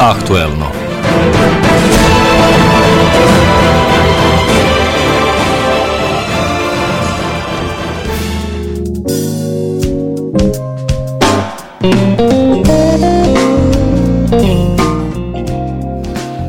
Aktuelno.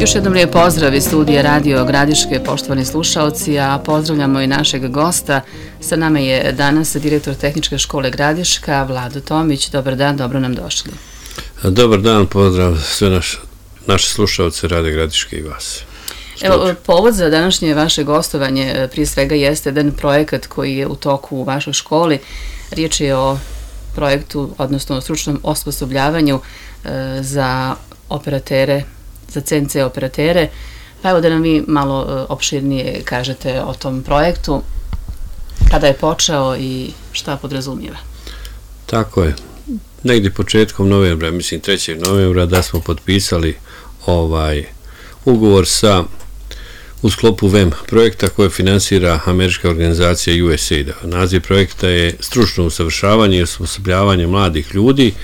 Još jednom lijep pozdrav iz studija Radio Gradiške, poštovani slušaoci, a pozdravljamo i našeg gosta. Sa nama je danas direktor Tehničke škole Gradiška, Vlado Tomić. Dobar dan, dobro nam došli. Dobar dan, pozdrav sve naše slušaoce Radio Gradiške i vas. Evo, povod za današnje vaše gostovanje prije svega jeste jedan projekat koji je u toku u vašoj školi. Riječ je o projektu, odnosno o stručnom osposobljavanju za operatere, za CNC operatere. Pa evo da nam vi malo opširnije kažete o tom projektu, kada je počeo i šta podrazumijeva. Tako je. Negdje početkom novembra, mislim 3. novembra, da smo potpisali ugovor u sklopu VEM projekta koje finansira američka organizacija USAID. Naziv projekta je stručno usavršavanje i osposobljavanje mladih ljudi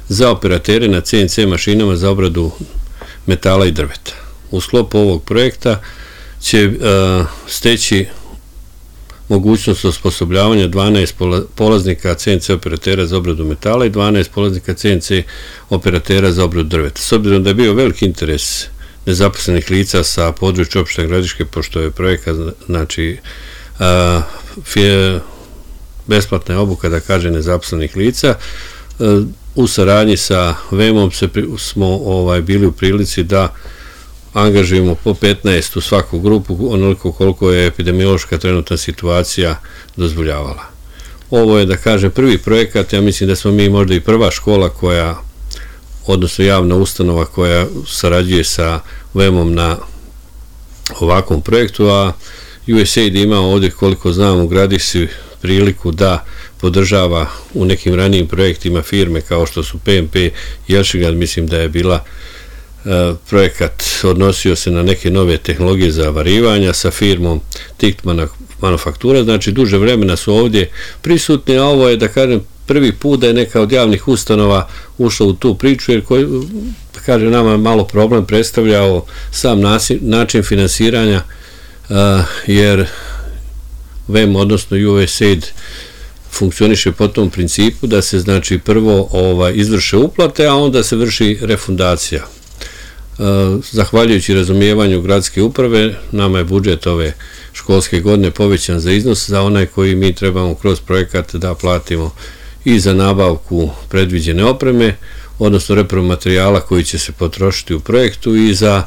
za operatere na CNC mašinama za obradu metala i drveta. U sklopu ovog projekta će steći mogućnost osposobljavanja 12 polaznika CNC operatera za obradu metala i 12 polaznika CNC operatera za obradu drveta. S obzirom da je bio veliki interes nezaposlenih lica sa područja opštine Gradiške, pošto je projekat, znači, besplatna obuka, da kaže, nezaposlenih lica, u saradnji sa VEM-om smo bili u prilici da angažujemo po 15 u svaku grupu, onoliko koliko je epidemiološka trenutna situacija dozvoljavala. Ovo je, da kažem, prvi projekat, ja mislim da smo mi možda i prva škola odnosno javna ustanova koja sarađuje sa VEM-om na ovakvom projektu, a USAID ima ovdje, koliko znam, u Gradišci priliku da podržava u nekim ranijim projektima firme kao što su PMP Jelšigan, mislim da je bila projekat, odnosio se na neke nove tehnologije za varivanja sa firmom TICT Manufaktura, znači duže vremena su ovdje prisutni, a ovo je, da kažem, prvi put da je neka od javnih ustanova ušla u tu priču, jer koji, da kažem, nama malo problem predstavljao sam način finansiranja, jer VEM, odnosno USAID, funkcioniše po tom principu da se, znači, prvo izvrše uplate, a onda se vrši refundacija. Zahvaljujući razumijevanju gradske uprave, nama je budžet ove školske godine povećan za iznos za onaj koji mi trebamo kroz projekat da platimo i za nabavku predviđene opreme, odnosno repromaterijala koji će se potrošiti u projektu i za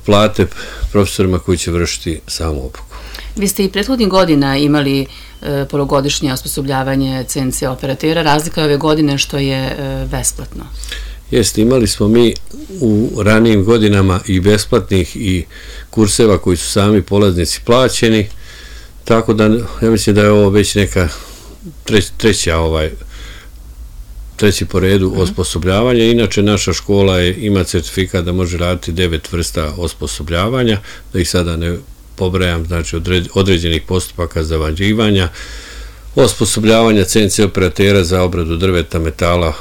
plate profesorima koji će vršiti samu obuku. Vi ste i prethodnih godina imali polugodišnje osposobljavanje CNC operatera, razlika je ove godine što je besplatno. Jeste, imali smo mi u ranijim godinama i besplatnih i kurseva koji su sami polaznici plaćeni, tako da ja mislim da je ovo već neka treći po redu osposobljavanja. Inače, naša škola ima certifikat da može raditi 9 vrsta osposobljavanja, da ih sada ne pobrajam, znači određenih postupaka zavađivanja, osposobljavanja CNC operatera za obradu drveta, metala,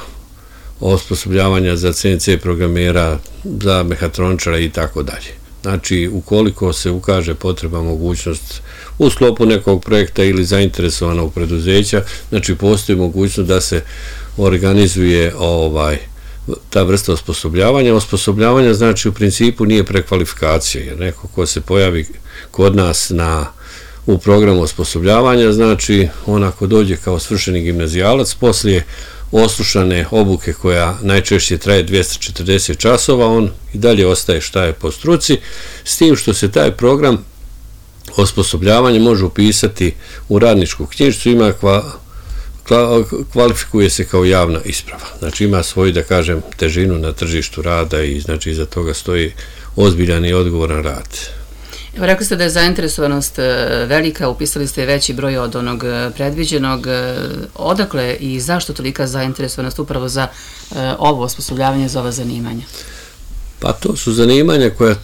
osposobljavanja za CNC programera, za mehatroničara i tako dalje. Znači, ukoliko se ukaže potreba, mogućnost u sklopu nekog projekta ili zainteresovanog preduzeća, znači postoji mogućnost da se organizuje ta vrsta osposobljavanja. Osposobljavanja, znači, u principu nije prekvalifikacija, jer neko ko se pojavi kod nas u programu osposobljavanja, znači, on ako dođe kao svršeni gimnazijalac, poslije oslušane obuke koja najčešće traje 240 časova, on i dalje ostaje šta je po struci, s tim što se taj program osposobljavanja može upisati u radničku knjižicu, kvalifikuje se kao javna isprava. Znači, ima svoju, da kažem, težinu na tržištu rada i, znači, iza toga stoji ozbiljan i odgovoran rad. Evo, rekli ste da je zainteresovanost velika, upisali ste veći broj od onog predviđenog. Odakle i zašto tolika zainteresovanost upravo za ovo osposobljavanje, za ova zanimanja? Pa to su zanimanja koja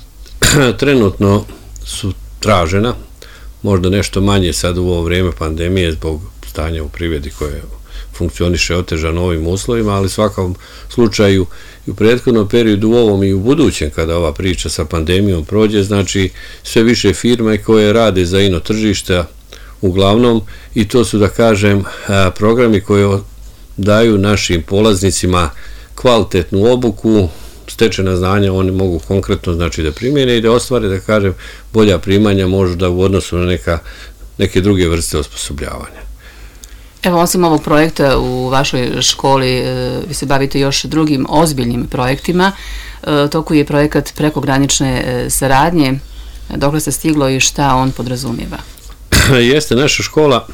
trenutno su tražena, možda nešto manje sad u ovo vrijeme pandemije zbog stanja u privredi koje funkcioniše otežano u ovim uslovima, ali u svakom slučaju i u prethodnom periodu, u ovom i u budućem, kada ova priča sa pandemijom prođe, znači sve više firme koje rade za ino tržišta uglavnom, i to su, da kažem, programi koji daju našim polaznicima kvalitetnu obuku, stečena znanja oni mogu konkretno, znači, da primjene i da ostvare, da kažem, bolja primanja možda u odnosu na neke druge vrste osposobljavanja. Evo, osim ovog projekta u vašoj školi, vi se bavite još drugim ozbiljnim projektima. Toku je projekat prekogranične saradnje. Dokle se stiglo i šta on podrazumijeva? Jeste, naša škola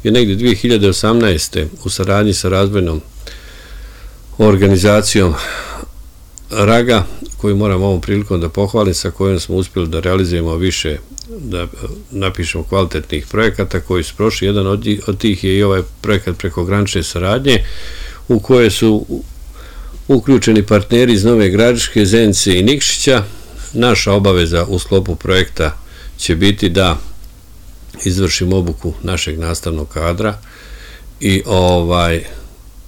je negdje 2018. u saradnji sa razvojnom organizacijom RAGA, koju moram ovom prilikom da pohvalim, sa kojom smo uspjeli da realizujemo više, da napišemo kvalitetnih projekata koji su prošli. Jedan od tih je i ovaj projekat prekogranične saradnje, u koje su uključeni partneri iz Nove Gradiške, Zenice i Nikšića. Naša obaveza u sklopu projekta će biti da izvršimo obuku našeg nastavnog kadra i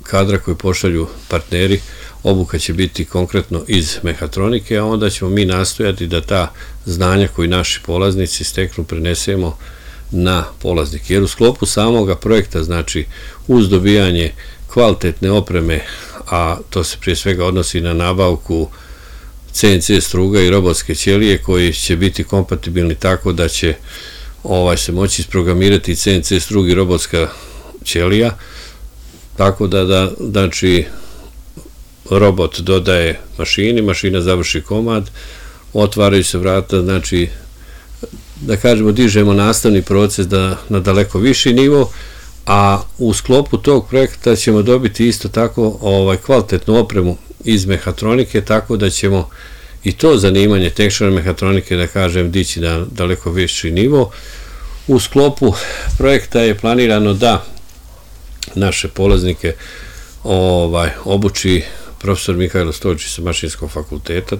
kadra koji pošalju partneri. Obuka će biti konkretno iz mehatronike, a onda ćemo mi nastojati da ta znanja koji naši polaznici steknu prenesemo na polaznike. Jer u sklopu samoga projekta, znači uz dobijanje kvalitetne opreme, a to se prije svega odnosi na nabavku CNC struga i robotske ćelije koji će biti kompatibilni tako da će se moći isprogramirati CNC strug i robotska ćelija, tako da znači robot dodaje mašini, mašina završi komad, otvaraju se vrata, znači da kažemo dižemo nastavni proces na daleko viši nivo, a u sklopu tog projekta ćemo dobiti isto tako kvalitetnu opremu iz mehatronike, tako da ćemo i to zanimanje tehničara mehatronike, da kažem, dići na daleko viši nivo. U sklopu projekta je planirano da naše polaznike obuči profesor Mihajlo Stojčić sa Mašinskog fakulteta,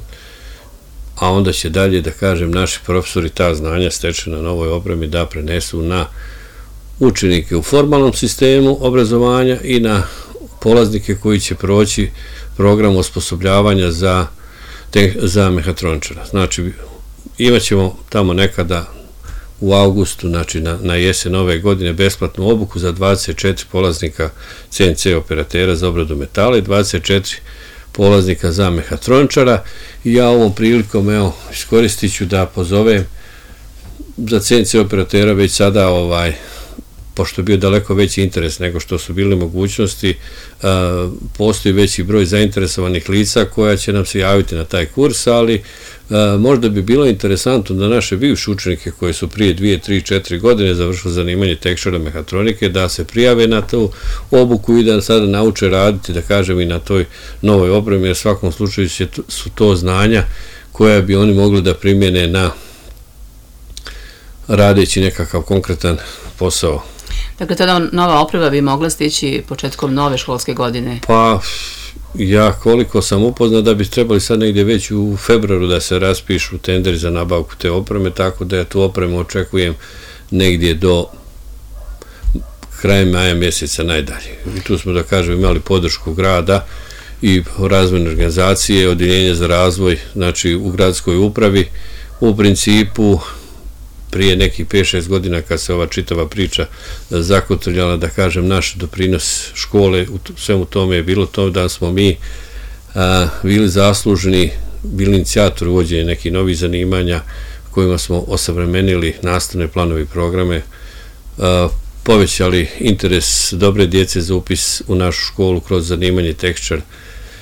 a onda će dalje, da kažem, naši profesori ta znanja stečena na novoj opremi da prenesu na učenike u formalnom sistemu obrazovanja i na polaznike koji će proći program osposobljavanja za mehatroničara. Znači, imat ćemo tamo nekada u avgustu, znači na jesen ove godine, besplatnu obuku za 24 polaznika CNC operatera za obradu metala i 24 polaznika za mehatroničara. I ja ovom prilikom, iskoristit ću da pozovem za CNC operatera već sada, pošto je bio daleko veći interes nego što su bile mogućnosti, postoji veći broj zainteresovanih lica koja će nam se javiti na taj kurs, ali možda bi bilo interesantno da naše bivše učenike koji su prije 2, 3, 4 godine završili zanimanje tehničara mehatronike da se prijave na tu obuku i da sada nauče raditi, da kažem, i na toj novoj opremi, jer u svakom slučaju su to znanja koja bi oni mogli da primjene na radeći nekakav konkretan posao. Dakle, tada nova oprema bi mogla stići početkom nove školske godine? Pa, ja koliko sam upoznat da bi trebali sad negdje već u februaru da se raspišu tenderi za nabavku te opreme, tako da ja tu opremu očekujem negdje do kraja maja mjeseca najdalje. I tu smo, da kažem, imali podršku grada i razvojne organizacije, Odjeljenje za razvoj, znači u gradskoj upravi. U principu, prije nekih 5-6 godina kad se ova čitava priča zakotrljala, da kažem, naš doprinos škole u svemu tome je bilo to da smo mi bili zaslužni, bili inicijatori uvođenja nekih novih zanimanja kojima smo osavremenili nastavne planove i programe, povećali interes dobre djece za upis u našu školu kroz zanimanje tehničar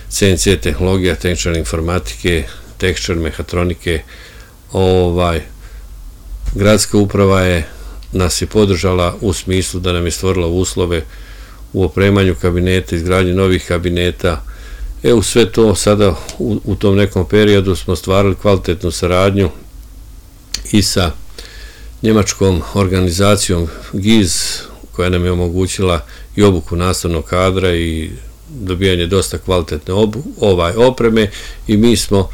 CNC tehnologija, tehničar informatike, tehničar mehatronike. Gradska uprava nas je podržala u smislu da nam je stvorila uslove u opremanju kabineta, izgradnji novih kabineta. U sve to sada u tom nekom periodu smo stvarali kvalitetnu saradnju i sa njemačkom organizacijom GIZ, koja nam je omogućila i obuku nastavnog kadra i dobijanje dosta kvalitetne opreme, i mi smo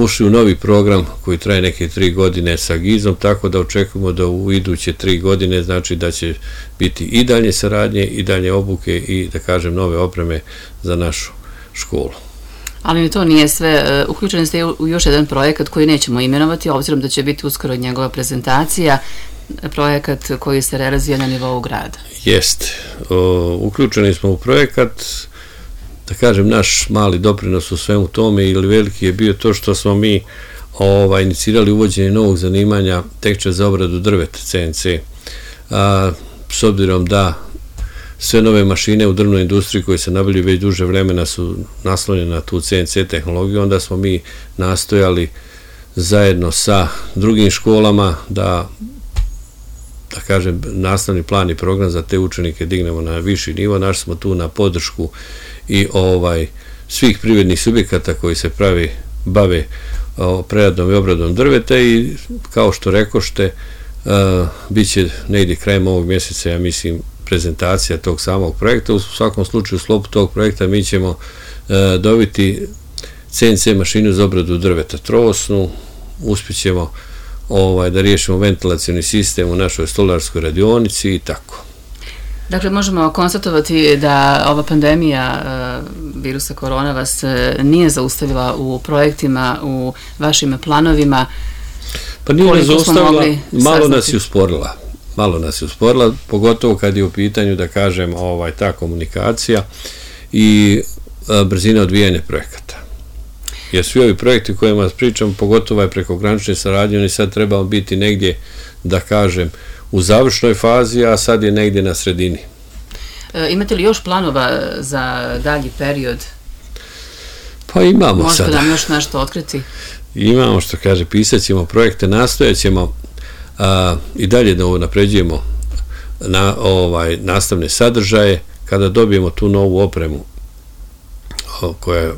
ušli u novi program koji traje neke 3 godine sa GIZ-om, tako da očekujemo da u iduće 3 godine znači da će biti i dalje saradnje i dalje obuke i da kažem nove opreme za našu školu. Ali ni to nije sve. Uključeni ste u još jedan projekat koji nećemo imenovati, obzirom da će biti uskoro njegova prezentacija, projekat koji se realizuje na nivou grada. Jeste. Uključeni smo u projekat, da kažem, naš mali doprinos u svemu tome ili veliki je bio to što smo mi inicirali uvođenje novog zanimanja tehničar za obradu drveta, CNC. S obzirom da sve nove mašine u drvnoj industriji koje se nabavljaju već duže vremena su naslonjene na tu CNC tehnologiju, onda smo mi nastojali zajedno sa drugim školama da kažem, nastavni plan i program za te učenike dignemo na viši nivo. Našli smo tu na podršku i svih privrednih subjekata koji se bave preradom i obradom drveta i kao što rekošte, bit će negdje krajem ovog mjeseca, ja mislim, prezentacija tog samog projekta. U svakom slučaju, u sklopu tog projekta mi ćemo dobiti CNC mašinu za obradu drveta trosnu, uspjećemo da riješimo ventilacioni sistem u našoj stolarskoj radionici i tako. Dakle, možemo konstatovati da ova pandemija virusa korona vas nije zaustavila u projektima, u vašim planovima. Pa nije zaustavila, malo nas je usporila, pogotovo kad je u pitanju, da kažem, ta komunikacija i brzina odvijanja projekata. Jer svi ovi projekti o kojima pričam, pogotovo prekogranične saradnje, oni sad trebamo biti negdje, da kažem, u završnoj fazi, a sad je negdje na sredini. Imate li još planova za dalji period? Pa imamo sada. Možete nam još nešto otkriti? Imamo, što kaže, pisat ćemo projekte, nastojat ćemo i dalje da napređujemo nastavne sadržaje. Kada dobijemo tu novu opremu koja je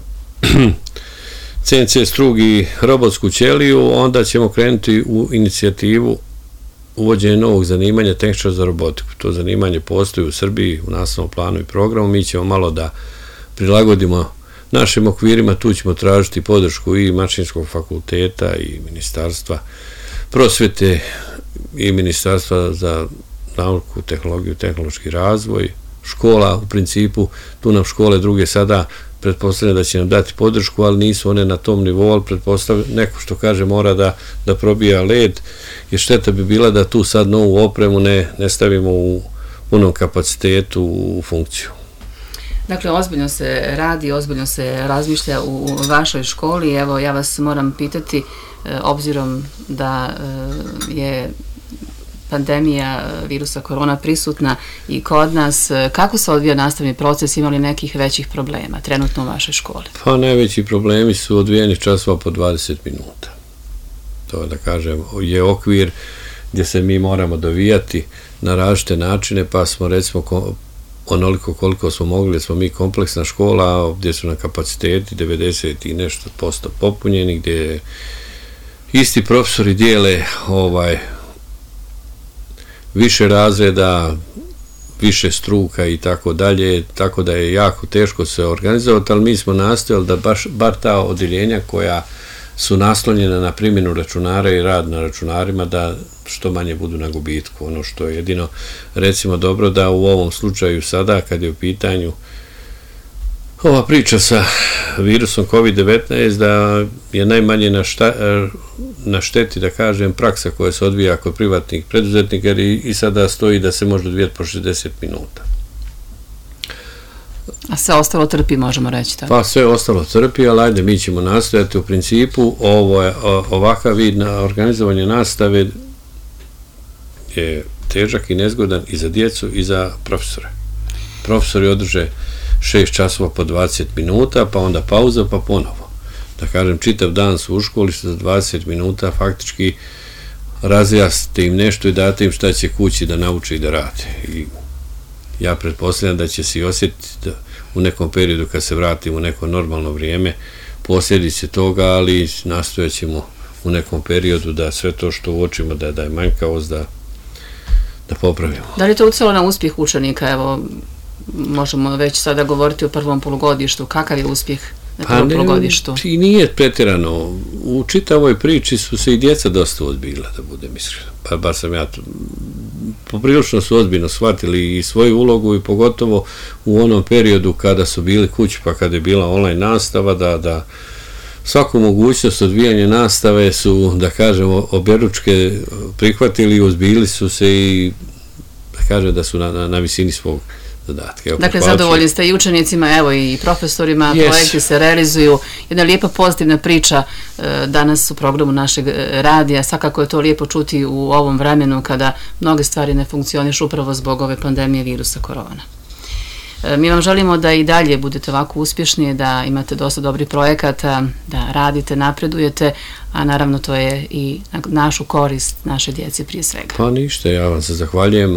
CNC strug i robotsku ćeliju, onda ćemo krenuti u inicijativu uvođenja novog zanimanja tehničar za robotiku. To zanimanje postoji u Srbiji u nastavnom planu i programu. Mi ćemo malo da prilagodimo našim okvirima, tu ćemo tražiti podršku i Mašinskog fakulteta i Ministarstva prosvete i Ministarstva za nauku, tehnologiju, tehnološki razvoj, škola. U principu, tu nam škole druge sada pretpostavljam da će nam dati podršku, ali nisu one na tom nivou, ali pretpostavljam neko što kaže mora da probija led, jer šteta bi bila da tu sad novu opremu ne stavimo u punom kapacitetu u funkciju. Dakle, ozbiljno se radi, ozbiljno se razmišlja u vašoj školi. Evo, ja vas moram pitati, obzirom da je pandemija virusa korona prisutna i kod nas, kako se odvija nastavni proces, ima li nekih većih problema trenutno u vašoj školi? Pa najveći problemi su odvijeni časova po 20 minuta. To, da kažem, je okvir gdje se mi moramo dovijati na različite načine, pa smo recimo onoliko koliko smo mogli, smo mi kompleksna škola gdje su na kapaciteti 90 i nešto posto popunjeni, gdje isti profesori dijele više razreda, više struka i tako dalje, tako da je jako teško se organizovati, ali mi smo nastojali da bar ta odeljenja koja su naslonjena na primjenu računara i rad na računarima da što manje budu na gubitku. Ono što je jedino, recimo, dobro da u ovom slučaju sada, kad je u pitanju ova priča sa virusom COVID-19, da je najmanje na šteti, da kažem, praksa koja se odvija kod privatnih preduzetnika, jer i sada stoji da se može odvijati po 60 minuta. A sve ostalo trpi, možemo reći tako? Pa sve ostalo trpi, ali ajde, mi ćemo nastojati. U principu, ovakav vid na organizovanje nastave je težak i nezgodan i za djecu i za profesore. Profesori održe 6 časova po 20 minuta, pa onda pauza, pa ponovo. Da kažem, čitav dan su u školi, što za 20 minuta faktički razjasnite im nešto i date im šta će kući da nauče i da rade. I ja pretpostavljam da će se osjetiti u nekom periodu kad se vratimo u neko normalno vrijeme posljedice toga, ali nastojat ćemo u nekom periodu da sve to što uočimo da je manjkavost da popravimo. Da li je to utjecalo na uspjeh učenika? Evo, možemo već sada govoriti o prvom polugodištu. Kakav je uspjeh na prvom polugodištu? I nije pretjerano. U čitavoj priči su se i djeca dosta ozbiljila, da budem iskren. Pa bar sam ja poprilično su ozbiljno shvatili i svoju ulogu i pogotovo u onom periodu kada su bili kući, pa kada je bila online nastava, da svaku mogućnost odvijanja nastave su, da kažemo, objeručke prihvatili i ozbiljili su se i da kažem da su na visini svog zadatka. Dakle, zadovoljni ste i učenicima, evo i profesorima, projekti se realizuju. Jedna lijepa pozitivna priča danas u programu našeg radija. Svakako je to lijepo čuti u ovom vremenu kada mnoge stvari ne funkcionišu upravo zbog ove pandemije virusa korona. Mi vam želimo da i dalje budete ovako uspješni, da imate dosta dobrih projekata, da radite, napredujete, a naravno to je i našu korist, naše djece prije svega. Pa ništa, ja vam se zahvaljujem.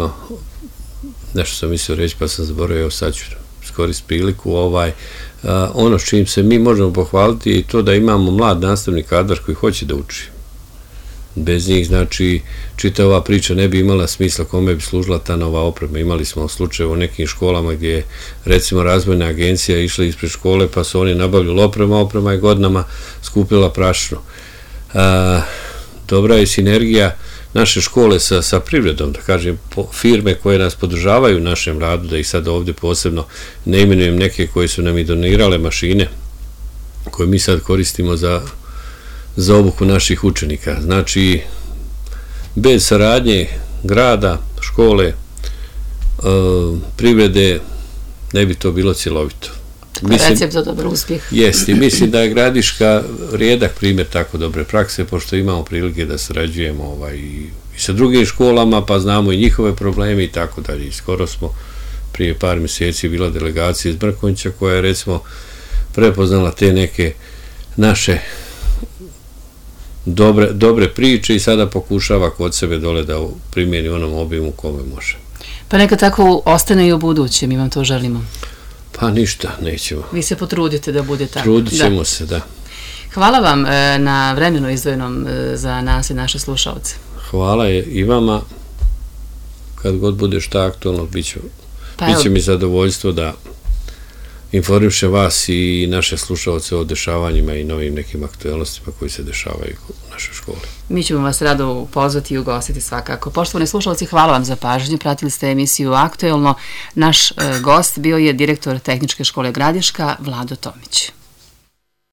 Nešto sam mislio reći pa sam zaboravio, sad ću iskoristiti priliku. Ono s čim se mi možemo pohvaliti je to da imamo mlad nastavni kadar koji hoće da uči. Bez njih, znači, čita ova priča ne bi imala smisla kome bi služila ta nova oprema. Imali smo slučaje u nekim školama gdje je, recimo, razvojna agencija išla ispred škole pa su oni nabavljali oprema je godinama skupila prašinu. Dobra je sinergija naše škole sa privredom, da kažem, firme koje nas podržavaju u našem radu, da ih sad ovdje posebno ne imenujem neke koje su nam i donirale mašine koje mi sad koristimo za obuku naših učenika. Znači, bez saradnje grada, škole, privrede, ne bi to bilo cjelovito. Recept za dobar uspjeh. Jeste, mislim da je Gradiška rijedak primjer tako dobre prakse, pošto imamo prilike da sarađujemo i sa drugim školama, pa znamo i njihove probleme i tako dalje. Skoro smo prije par mjeseci bila delegacija iz Mrkonjića koja je, recimo, prepoznala te neke naše dobre priče i sada pokušava kod sebe dole da primjeni onom obimu kome može. Pa neka tako ostane i u buduće, mi vam to želimo. Pa ništa, nećemo. Vi se potrudite da bude tako. Trudit ćemo se, da. Hvala vam na vremenu izdvojenom za nas i naše slušalce. Hvala i vama. Kad god bude šta aktualno, bit će mi zadovoljstvo da informišem vas i naše slušalce o dešavanjima i novim nekim aktualnostima koji se dešavaju u našoj školi. Mi ćemo vas rado pozvati i ugostiti svakako. Poštovani slušalci, hvala vam za pažnju. Pratili ste emisiju Aktuelno. Naš gost bio je direktor Tehničke škole Gradiška, Vlado Tomić.